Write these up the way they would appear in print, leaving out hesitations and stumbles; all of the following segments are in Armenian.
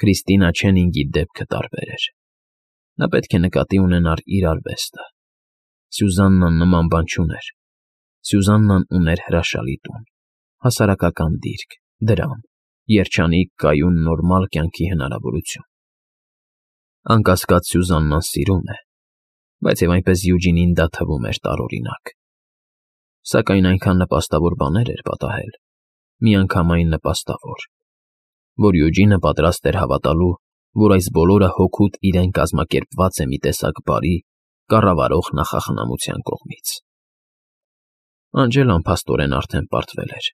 Քրիստինա Չենինգի դեպքը տարբեր էր։ Նա պետք է նկատի ունենար իր արվեստը։ Սյուզաննան նման բան չուներ։ Սյուզաննան ուներ հրաշալի տուն, հասարակական դիրք, դրամ, երջանիկ, կայուն, նորմալ կյանքի հնարավորություն։ Անկասկած Սյուզաննան սիրում է, բայց և այնպես Յուջինին դա թվում էր տարօրինակ։ Սակայն այնքան նպաստավոր բաներ էր պատահել, միանգամայն նպաստավոր, որ Յուջինը պատրաստ էր հավատալու, որ այս բոլորը հօգուտ իրեն կազմակերպված է մի տեսակ բարի, կառավարող նախախնամության կողմից։ Անջելան փաստորեն արդեն պարտվել էր։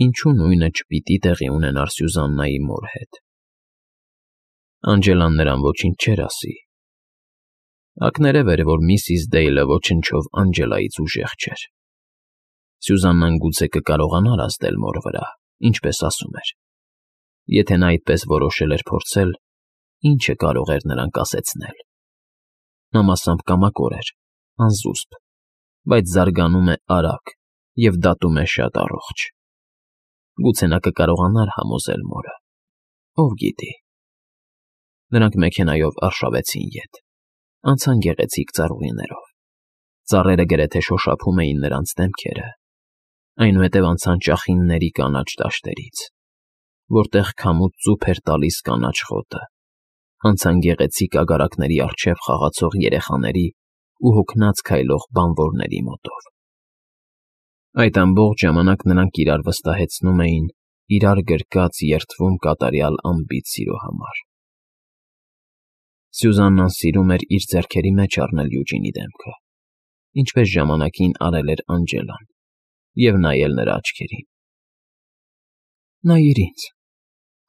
Ինչու նույնը չպիտի տեղի ունենար Սյուզաննայի մոր հետ։ Անջելան նրան ոչինչ չէր ասի։ Ակներև էր, որ միսիս Դեյլը ոչնչով Անջելայից ուժեղ չէր։ Սյուզաննան գուցե կկարողանար ազդել մոր վրա, ինչպես ասում էր։ Եթե նա այդպես որոշել էր փորձել, ինչը կարող էր նրան կասեցնել։ Նա մասամբ կամակոր էր, անզուսպ, բայց զարգանում է արագ և դատում է շատ առողջ։ Գուցե նա կկարողանար համոզել մորը։ Ով գիտի։ Նրանք մեքենայով արշավեցին ետ, անցան գեղեցիկ ծառուղիներով։ Ծառերը գրեթե շոշափում էին նրանց դեմքերը, այնուհետև անցան ճախինների կանաչ դաշտերից, որտեղ քամուց ծուփ էր տալիս կանաչ խոտը, անցան գեղեցիկ ագարակների առջև խաղացող երեխաների ու հոգնած քայլող բանվորների մոտով։ Այդ ամբողջ ժամանակ նրանք իրար վստահեցնում էին իրար գրկած երդվում կատարյալ անբիծ սիրո համար։ Սյուզաննան սիրում էր իր ձեռքերի մեջ առնել Յուջինի դեմքը, ինչպես ժամանակին արել էր Անջելան, և նայել նրա աչքերին։ «Նայիր ինձ»,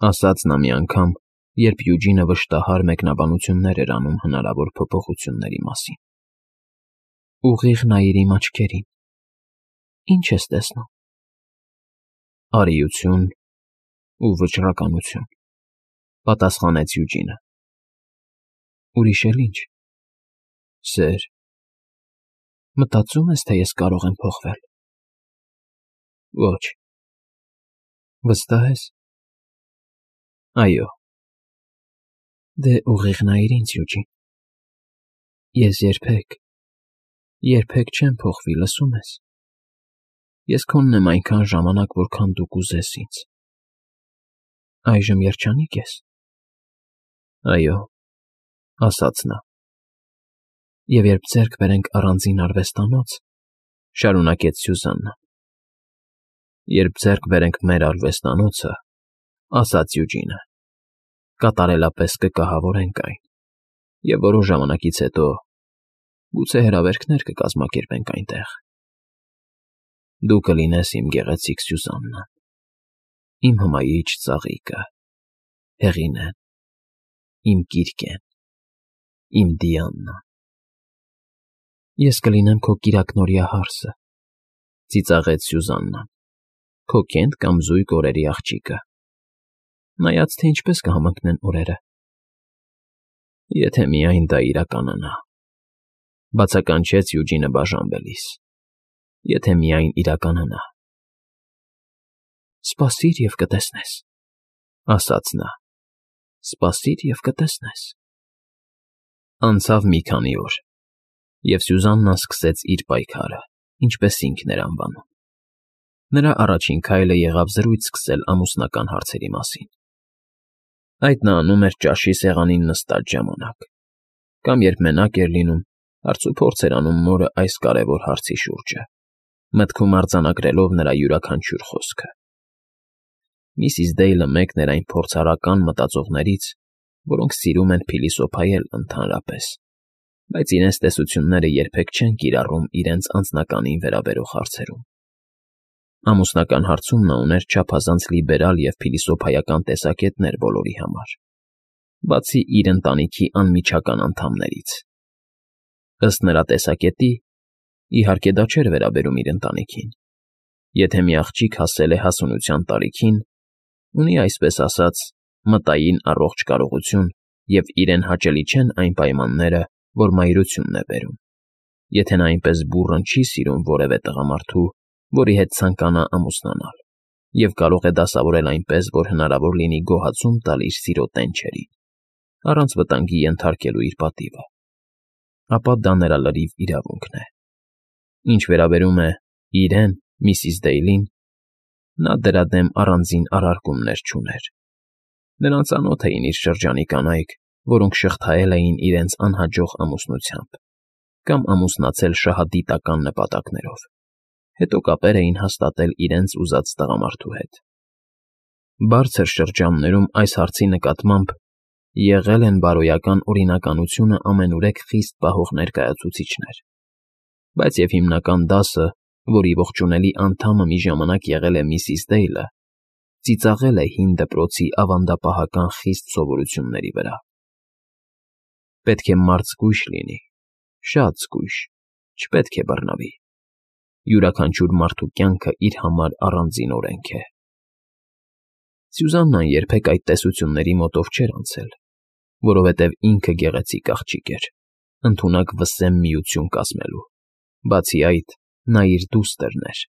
ասաց նա մի անգամ, երբ Յուջինը վշտահար մեկնաբանություններ էր անում հնարավոր փոփոխությունների մասին։ «Ուղիղ նայիր իմ աչքերին։ Ի՞նչ ես տեսնում»։ «Արիություն ու վճռականություն», պատասխանեց Յուջինը։ «Ուրիշ էլ ի՞նչ։ Սեր։ Մտածո՞ւմ ես, թե ես կարող եմ փոխվել»։ «Ոչ»։ «Վստահ ես»։ «Այո»։ «Դե ուղիղ նայիր ինձ, Յուջին։ Ես երբեք չեմ փոխվի, լսո՞ւմ ես։ Ես քոնն եմ այնքան ժամանակ, որքան դու կուզես ինձ։ Այժմ երջանի՞կ ես»։ «Այո», ասաց նա։ «Եվ երբ ձեռք բերենք առանձին արվեստանոց», շարունակեց Սյուզաննան։ «Երբ ձեռք բերենք մեր արվեստանոցը», ասաց Յուջինը, «կատարելապես կկահավորենք այն, և որոշ ժամանակից հետո գուցե հրավերքներ կկազմակերպենք այնտեղ։ Դու կլինես իմ գեղեցիկ Սյուզաննան, իմ հմայիչ ծաղիկը, Հեղինեն, իմ Կիրկեն, իմ Դիանան»։ «Ես կլինեմ քո կիրակնօրյա հարսը», ծիծաղեց Սյուզաննան, «քո կենտ կամ զույգ օրերի աղջիկը, նայած թե ինչպես կհամընկնեն օրերը»։ «Եթե միայն դա իրականանա», բացականչեց Յուջինը բաժանվելիս։ «Եթե միայն իրականանա»։ «Սպասիր և կտեսնես», ասաց նա։ «Սպասիր և կտեսնես»։ Անցավ մի քանի օր, և Սյուզաննան սկսեց իր պայքարը, ինչպես ինքն էր անվանում։ Նրա առաջին քայլը եղավ զրույց սկսել ամուսնական հարցերի մասին։ Այդ նա անում էր ճաշի սեղանին նստած ժամանակ, կամ երբ մենակ էր լինում, հարցուփորձ էր անում մորը այս կարևոր հարցի շուրջը, մտքում արձանագրելով նրա յուրաքանչյուր խոսքը։ Միսիս Դեյլը մեկն էր այն փորձառական մտածողներից, որոնք սիրում են փիլիսոփայել ընդհանրապես, բայց իրենց տեսությունները երբեք չեն կիրառում իրենց անձնականին վերաբերող հարցերում։ Ամուսնական հարցում նա ուներ չափազանց լիբերալ և փիլիսոփայական տեսակետներ բոլորի համար, բացի իր ընտանիքի անմիջական անդամներից։ Ըստ նրա տեսակետի, իհարկե դա չէր վերաբերում իր ընտանիքին։ Եթե մի աղջիկ հասել է հասունության տարիքին, ունի, այսպես ասած, մտային առողջ կարողություն և իրեն հաճելի չեն այն պայմանները, որ մայրությունն է բերում։ Եթե նա այնպես բուռն չի սիրում որևէ տղամարդու, որի հետ ցանկանա ամուսնանալ, և կարող է դասավորել այնպես, որ հնարավոր լինի գոհացում տալ իր սիրո տենչերին, առանց վտանգի ենթարկելու իր պատիվը, ապա դա նրա լրիվ իրավունքն է։ Ինչ վերաբերում է իրեն, Միսիս Դեյլին, նա դրա դեմ առանձին առարկումներ չուներ։ Նրան ծանոթ էին իր շրջանի կանայք, որոնք շղթայել էին իրենց անհաջող ամուսնությամբ կամ ամուսնացել շահադիտական նպատակներով, հետո կապեր էին հաստատել իրենց ուզած տղամարդու հետ։ Բարձր շրջաններում այս հարցի նկատմամբ եղել են բարոյական օրինականությունը ամենուրեք խիստ պահող ներկայացուցիչներ, բայց և հիմնական դասը, որի ողջունելի անդամը մի ժամանակ եղել է Միսիս Դեյլը, ծիծաղել է հին դպրոցի ավանդապահական խիստ սովորությունների վրա։ Պետք է մարդ զգույշ լինի, շատ զգույշ, չպետք է բռնվի։ Յուրաքանչյուր մարդու կյանքը իր համար առանձին օրենք է։ Սյուզաննան երբեք այդ տեսությունների մոտով չէր անցել, որովհետև ինքը գեղեցիկ աղջիկ էր, ընդունակ վսեմ միություն կազմելու։ Բացի այդ, նա իր դուստրն էր։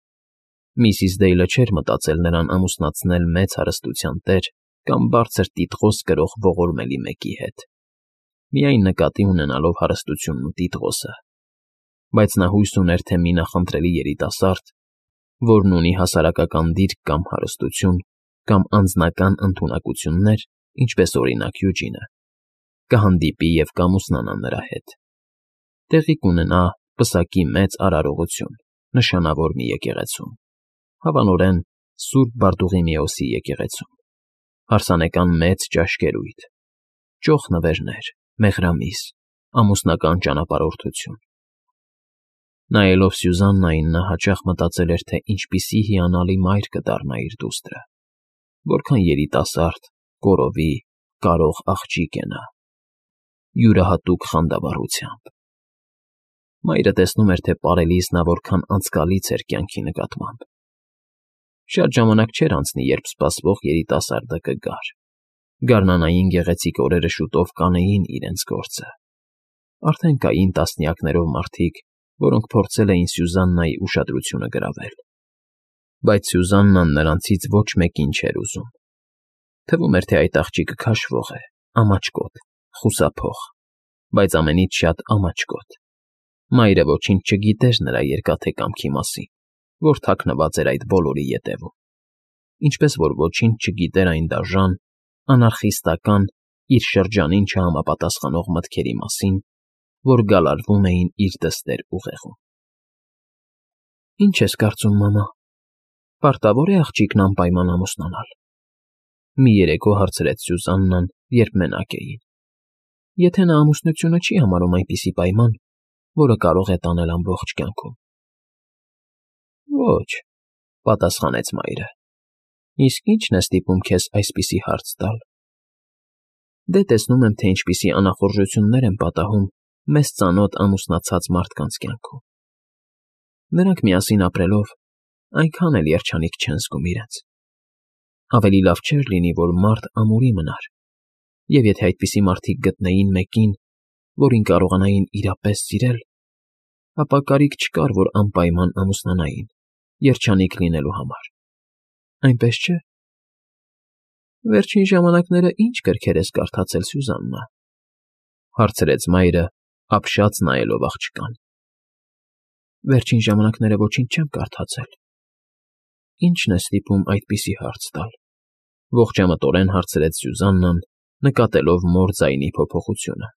Միսիս Դեյլը չէր մտածել նրան ամուսնացնել մեծ հարստության տեր կամ բարձր տիտղոս կրող ողորմելի մեկի հետ, միայն նկատի ունենալով հարստությունն ու տիտղոսը, բայց նա հույս ուներ, թե մի նախընտրելի երիտասարդ, որն ունի հասարակական դիրք կամ հարստություն, կամ անձնական ընդունակություններ, ինչպես օրինակ Յուջինը, կհանդիպի և կամուսնանա նրա հետ։ Տեղի կունենա պսակի մեծ արարողություն, նշանավոր մի եկեղեցում, հավանորեն Սուրբ Բարտուղիմեոսի եկեղեցում, հարսանեկան մեծ ճաշկերույթ, ճոխ նվերներ, մեղրամիս, ամուսնական ճանապարհորդություն։ Նայելով Սյուզաննային, նա հաճախ մտածել էր, թե ինչպիսի հիանալի մայր կդառնա իր դուստրը, որքան երիտասարդ, կոռովի, կարող աղջիկ է նա, յուրահատուկ խանդավառությամբ։ Մայրը տեսնում էր, թե պարելիս նա որքան անցկալից էր կյանքի նկատմամբ։ Շատ ժամանակ չէր անցնի, երբ սպասվող երիտասարդը կգար։ Գարնանային գեղեցիկ օրերը շուտով կանեին իրենց գործը։ Արդեն կային տասնյակներով մարդիկ, որոնք փորձել էին Սյուզաննայի ուշադրությունը գրավել։ Բայց Սյուզաննան նրանցից ոչ մեկին չէր ուզում։ Թվում էր, թե այդ աղջիկը քաշվող է, ամաչկոտ, խուսափող, բայց ամենից շատ ամաչկոտ։ Մայրը ոչինչ չգիտեր նրա երկաթե կամքի մասին, որ թաքնված էր այդ բոլորի ետևում, ինչպես որ ոչինչ չգիտեր այն դաժան, անարխիստական, իր շրջանին չհամապատասխանող մտքերի մասին, որ գալարվում էին իր դստեր ուղեղում։ Ինչ ես կարծում, մամա, պարտավոր է աղջիկն անպայման ամուսնանալ։ Մի երեկո հարցրեց Սյուզաննան, երբ մենակ էին։ Եթե նա ամուսնությունը չի համարում այնպիսի պայման, որը կարող է տանել ամբողջ կյանքում։ Ոչ, պատասխանեց մայրը։ Իսկ ի՞նչն է ստիպում քեզ այսպիսի հարց տալ։ Դե տեսնում եմ, թե ինչպիսի անախորժություններ են պատահում մեզ ծանոթ ամուսնացած մարդկանց կյանքում։ Նրանք միասին ապրելով այնքան էլ երջանիկ չեն զգում իրենց։ Ավելի լավ չէր լինի, որ մարդ ամուրի մնար, և եթե այդպիսի մարդիկ գտնեին մեկին, որին կարողանային իրապես սիրել, ապա կարիք չկար, որ անպայման ամուսնանային, երջանիկ լինելու համար։ Այնպես չէ։ Վերջին ժամանակները ի՞նչ գրքեր ես կարդացել, Սյուզաննա, հարցրեց մայրը, ապշած նայելով աղջկան։ Վերջին ժամանակները ոչինչ չեմ կարդացել։ Ի՞նչն է ստիպում այդպիսի հարց տալ, ողջամտորեն հարցրեց Սյուզաննան, նկատելով մոր ձայնի փոփոխությունը։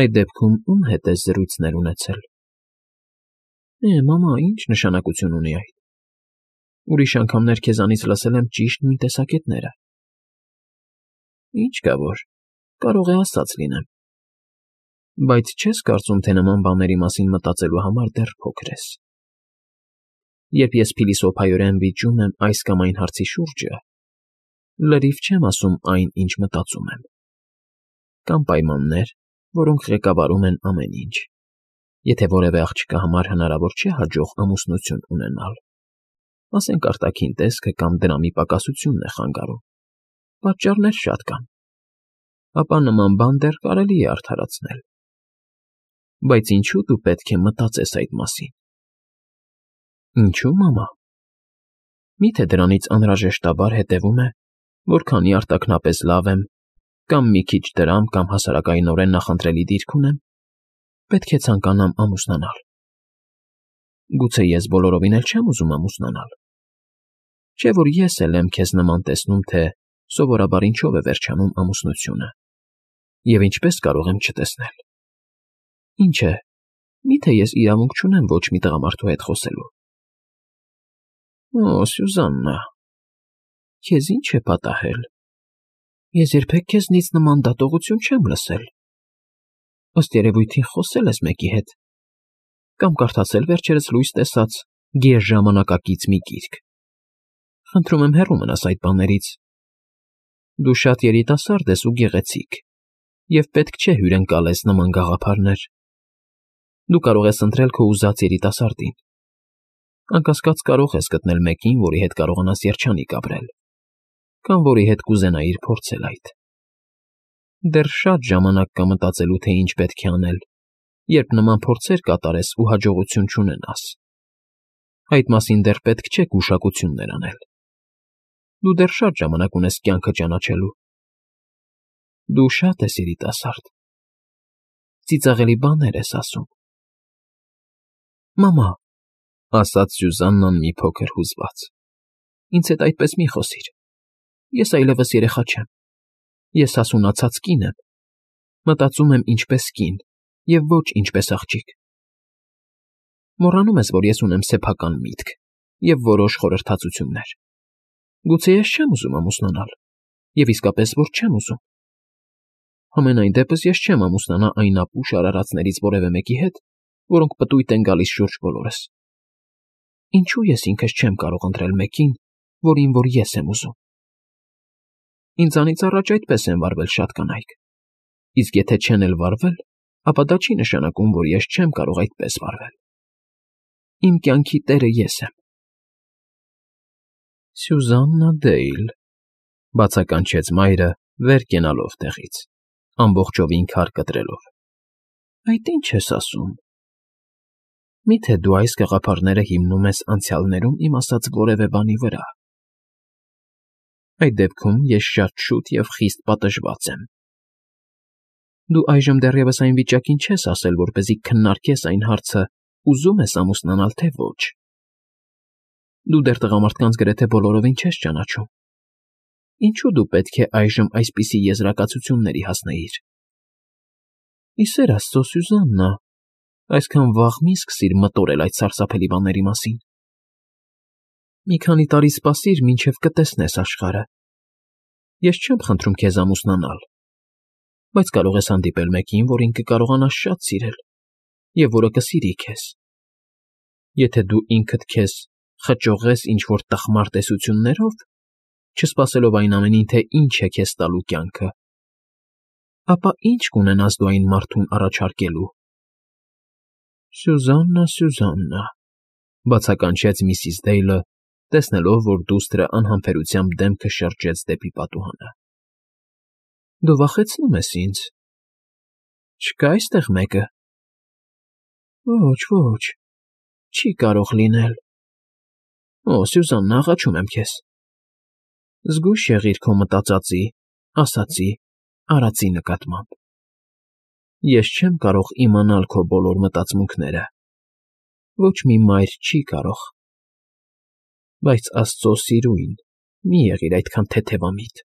Այդ դեպքում ում հետ ես զրույցներ ունեցել։ Մամա, ինչ նշանակություն ունի այդ։ Ուրիշ անգամներ քեզանից լսել եմ ճիշտ նույն տեսակետները։ Ինչ կա որ, կարող է ասած լինեմ։ Բայց չես կարծում, թե նման բաների մասին մտածելու համար դեռ փոքր ես։ Երբ ես փիլիսոփայորեն վիճում եմ այս կամ այն հարցի շուրջը, լրիվ չեմ ասում այն, ինչ մտածում եմ։ Կան պայմաններ, որոնք ղեկավարում են ամեն ինչ։ Եթե որևէ աղջկա համար հնարավոր չէ հաջող ամուսնություն ունենալ, ասենք արտաքին տեսքը կամ դրամի պակասությունն է խանգարում, պատճառներ շատ կան, ապա նման բան դեռ կարելի է արդարացնել։ Բայց ինչու դու պետք է մտածես այդ մասին։ Ինչու, մամա։ Միթե դրանից անհրաժեշտաբար հետևում է, որ քանի արտաքնապես լավ եմ, կամ մի քիչ դրամ կամ հասարակայնորեն նախընտրելի դիրք ունեմ, պետք է ցանկանամ ամուսնանալ։ Գուցե ես բոլորովին էլ չեմ ուզում ամուսնանալ։ Չէ՞ որ ես էլ եմ քեզ նման տեսնում, թե սովորաբար ինչով է վերջանում ամուսնությունը, և ինչպես կարող եմ չտեսնել։ Ինչ է, միթե ես իրավունք չունեմ ոչ մի տղամարդու հետ խոսելու։ Օ, Սյուզաննա, քեզ ինչ է պատահել։ Ես երբեք քեզնից նման դատողություն չեմ լսել։ Ըստ երևույթին խոսել ես մեկի հետ, կամ կարդացել վերջերս լույս տեսած գերժամանակակից մի գիրք։ Խնդրում եմ հեռու մնաս այդ բաներից։ Դու շատ երիտասարդ ես ու գեղեցիկ, և պետք չէ հյուրընկալես նման գաղափարներ։ Դու կարող ես ընտրել քո ուզած երիտասարդին։ Անկասկած կարող ես գտնել մեկին, որի հետ կարողանաս երջանիկ ապրել, կամ որի հետ կուզենայիր փորձել այդ։ Դեռ շատ ժամանակ կա մտածելու, թե ինչ պետք է անել, երբ նման փորձեր կատարես ու հաջողություն չունենաս։ Այդ մասին դեռ պետք չէ գուշակություններ անել։ Դու դեռ շատ ժամանակ ունես կյանքը ճանաչելու։ Դու շատ ես երիտասարդ։ Ծիծաղելի բաներ ես ասում։ Մամա, ասաց Սյուզաննան մի փոքր հուզված, ինձ հետ այդպես մի խոսիր։ Ես այլևս երեխա չեմ։ Ես հասունացած կին եմ։ Մտածում եմ ինչպես կին, և ոչ ինչպես աղջիկ։ Մոռանում ես, որ ես ունեմ սեփական միտք և որոշ խորհրդածություններ։ Գուցե ես չեմ ուզում ամուսնանալ, և իսկապես որ չեմ ուզում։ Համենայն դեպս ես չեմ ամուսնանա այն ապուշ արարածներից որևէ մեկի հետ, որոնք պտույտ են գալիս շուրջ բոլորս։ Ինչու ես ինքս չեմ կարող ընտրել մեկին, որին որ ես եմ ուզում։ Ինձանից առաջ այդպես են վարվել շատ կանայք, իսկ եթե չեն էլ վարվել, ապա դա չի նշանակում, որ ես չեմ կարող այդպես վարվել։ Իմ կյանքի տերը ես եմ։ Սյուզաննա Դեյլ, բացականչեց մայրը, վեր կենալով տեղից, ամբողջովին քար կտրելով։ Այդ ի՞նչ ես ասում։ Միթե դու այս գաղափարները հիմնում ես անցյալներում իմ ասած որևէ բանի վրա։ Այդ դեպքում ես շատ շուտ և խիստ պատժված եմ։ Դու այժմ դեռևս այն վիճակին չես հասել, որպեսզի քննարկես այն հարցը, ուզում ես ամուսնանալ, թե ոչ։ Դու դեռ տղամարդկանց գրեթե բոլորովին չես ճանաչում։ Ինչու դու պետք է այժմ այսպիսի եզրակացությունների հասնեիր։ Ի սեր Աստծո, Սյուզաննա, այսքան վաղ մի սկսիր մտորել այդ սարսափելի բաների մասին։ Մի քանի տարի սպասիր, մինչև կտեսնես աշխարհը։ Ես չեմ խնդրում քեզ ամուսնանալ, բայց կարող ես հանդիպել մեկին, որին կկարողանաս շատ սիրել, և որը կսիրի քեզ։ Եթե դու ինքդ քեզ խճողես ինչ-որ տխմար տեսություններով, չսպասելով այն ամենին, թե ինչ է քեզ տալու կյանքը, ապա ի՞նչ կունենաս դու այն մարդուն առաջարկելու։ Սյուզաննա, Սյուզաննա, բացականչեց միսիս Դեյլը, տեսնելով, որ դուստրը անհամբերությամբ դեմքը շրջեց դեպի պատուհանը։ Դու վախեցնում ես ինձ։ Չկա՞ այստեղ մեկը։ Ոչ, ոչ, չի կարող լինել։ Օ, Սյուզաննա, աղաչում եմ քեզ։ Զգույշ եղիր քո մտածածի, ասածի, արածի նկատմամբ։ Ես չեմ կարող իմանալ քո բոլոր մտածմունքները։ Ոչ մի մայր չի կարող։ Բայց Աստծո սիրուն, մի եղիր այդքան թեթևամիտ։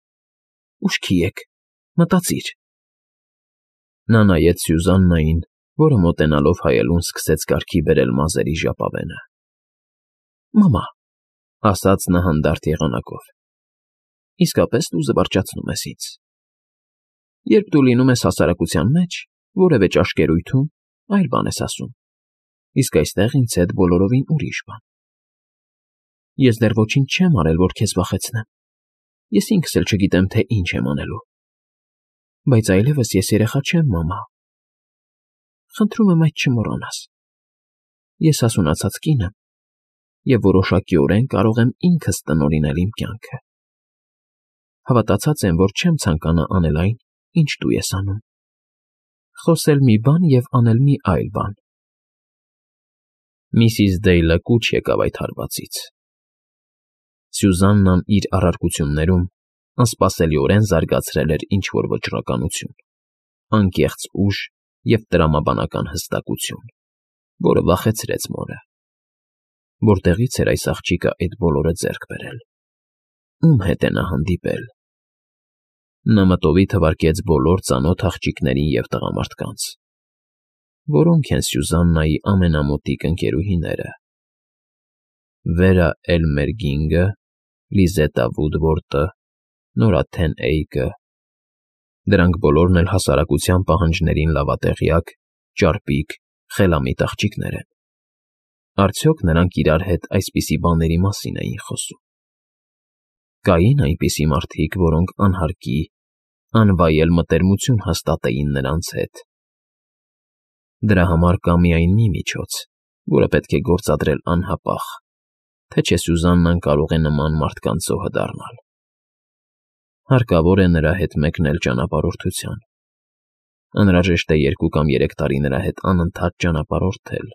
Ուշքի եկ, մտածիր։ Նա նայեց Սյուզաննային, որը մոտենալով հայելուն սկսեց կարգի բերել մազերի ժապավենը։ Մամա, ասաց նա հանդարտ եղանակով, իսկապես դու զվարճացնում ես ինձ։ Երբ դու լինում ես հասարակության մեջ, որևէ ճաշկերույթում, այլ բան ես ասում, իսկ այստեղ ինձ հետ բոլորովին ուրիշ բան։ Ես դեռ ոչինչ չեմ արել, որ քեզ վախեցնեմ։ Ես ինքս էլ չգիտեմ, թե ինչ եմ անելու։ Բայց այլևս ես երեխա չեմ, մամա։ Խնդրում եմ այդ չմոռանաս։ Ես հասունացած կին եմ, և որոշակիորեն կարող եմ ինքս տնօրինել իմ կյանքը։ Հավատացած եմ, որ չեմ ցանկանա անել այն, ինչ դու ես անում։ Խոսել մի բան և անել մի այլ բան։ Միսիս Դեյլը կուչ եկավ այդ հարվածից։ Սյուզաննան իր առարկություններում անսպասելիորեն զարգացրել էր ինչ-որ վճռականություն, անկեղծ ուժ և տրամաբանական հստակություն, որը վախեցրեց մորը։ Որտեղի՞ց էր այս աղջիկը այդ բոլորը ձեռք բերել։ Ում հետ է նա հանդիպել։ Նա մտովի թվարկեց բոլոր ծանոթ աղջիկներին և տղամարդկանց։ Որոնք են Սյուզաննայի ամենամոտիկ ընկերուհիները։ Վերա Էլմերգինգը, Լիզետա Վուդվորտը, Նորա Թեն Էյկը։ Դրանք բոլորն էլ հասարակության պահանջներին լավատեղյակ, ճարպիկ, խելամիտ աղջիկներ են։ Արդյոք նրանք իրար հետ այսպիսի բաների մասին էին խոսում։ Կային այնպիսի մարդիկ, որոնք անհարկի, անվայել մտերմություն հաստատեին նրանց հետ։ Դրա համար կա միայն մի միջոց, որը պետք է գործադրել անհապաղ, թե չէ Սյուզաննան կարող է նման մարդկանց զոհը դառնալ։ Հարկավոր է նրա հետ մեկնել ճանապարհորդության։ Անհրաժեշտ է 2 կամ 3 տարի նրա հետ անընդհատ ճանապարհորդել,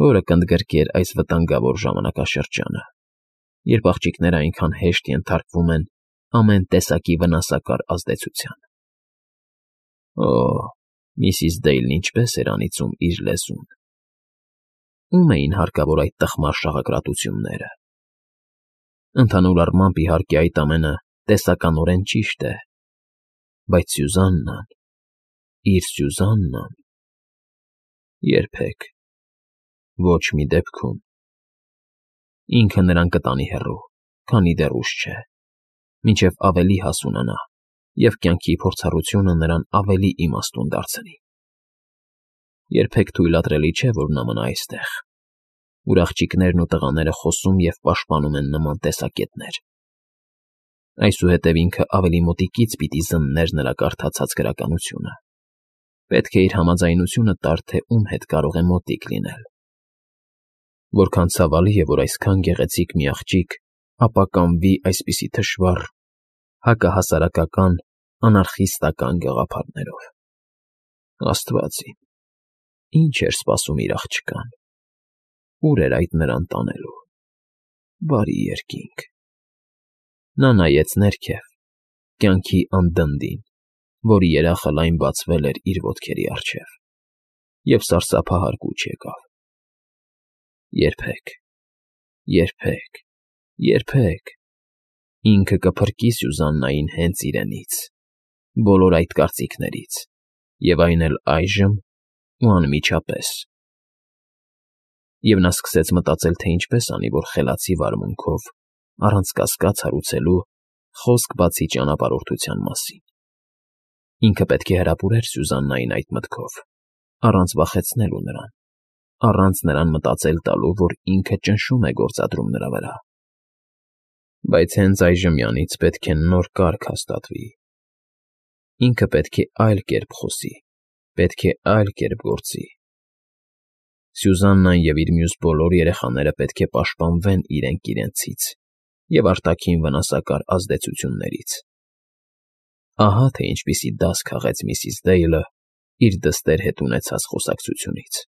որը կընդգրկեր այս վտանգավոր ժամանակաշրջանը, երբ աղջիկները այնքան հեշտ ենթարկվում են ամեն տեսակի վնասակար ազդեցության։ Օ, միսիս Դեյլն ինչպես էր անիծում իր լեզուն։ Ում էին հարկավոր այդ տխմար շաղակրատությունները։ Ընդհանուր առմամբ, իհարկե, այդ ամենը տեսականորեն ճիշտ է, բայց Սյուզաննան, իր Սյուզաննան… Երբեք, ոչ մի դեպքում։ Ինքը նրան կտանի հեռու, քանի դեռ ուշ չէ, մինչև ավելի հասունանա և կյանքի փորձառությունը նրան ավելի իմաստուն դարձնի։ Երբեք թույլատրելի չէ, որ նա մնա այստեղ, ուր աղջիկներն ու տղաները խոսում և պաշտպանում են նման տեսակետներ։ Այսուհետև ինքը ավելի մոտիկից պիտի զններ նրա կարդացած գրականությունը։ Պետք է իր համաձայնությունը տար, թե ում հետ կարող է մոտիկ լինել։ Որքան ցավալի է, որ այսքան գեղեցիկ մի աղջիկ ապականվի այսպիսի թշվառ, հակահասարակական, անարխիստական գաղափարներով։ Աստված իմ, ինչ էր սպասում իր աղջկան։ Ուր էր այդ նրան տանելու։ Բարի երկինք։ Նա նայեց ներքև, կյանքի անդնդին, որի երախը լայն բացվել էր իր ոտքերի առջև, և սարսափահար կուչ եկավ. Երբեք, երբեք, երբեք… Ինքը կփրկի Սյուզաննային հենց իրենից, բոլոր այդ կարծիքներից, և այն էլ այժմ ու անմիջապես։ Եվ նա սկսեց մտածել, թե ինչպես անի, որ խելացի վարմունքով, առանց կասկած հարուցելու, խոսք բացի ճանապարհորդության մասին։ Ինքը պետք է հրապուրեր Սյուզաննային այդ մտքով, առանց վախեցնելու նրան, առանց նրան մտածել տալու, որ ինքը ճնշում է գործադրում նրա վրա։ Բայց հենց այժմյանից պետք է նոր կարգ հաստատվի։ Ինքը պետք է այլ կերպ խոսի, պետք է այլ կերպ գործի։ Սյուզաննան և իր մյուս բոլոր երեխաները պետք է պաշտպանվեն իրենք իրենցից և արտաքին վնասակար ազդեցություններից։ Ահա թե ինչպիսի դաս քաղեց միսիս Դեյլը իր դստեր հետ ունեցած խոսակցությունից։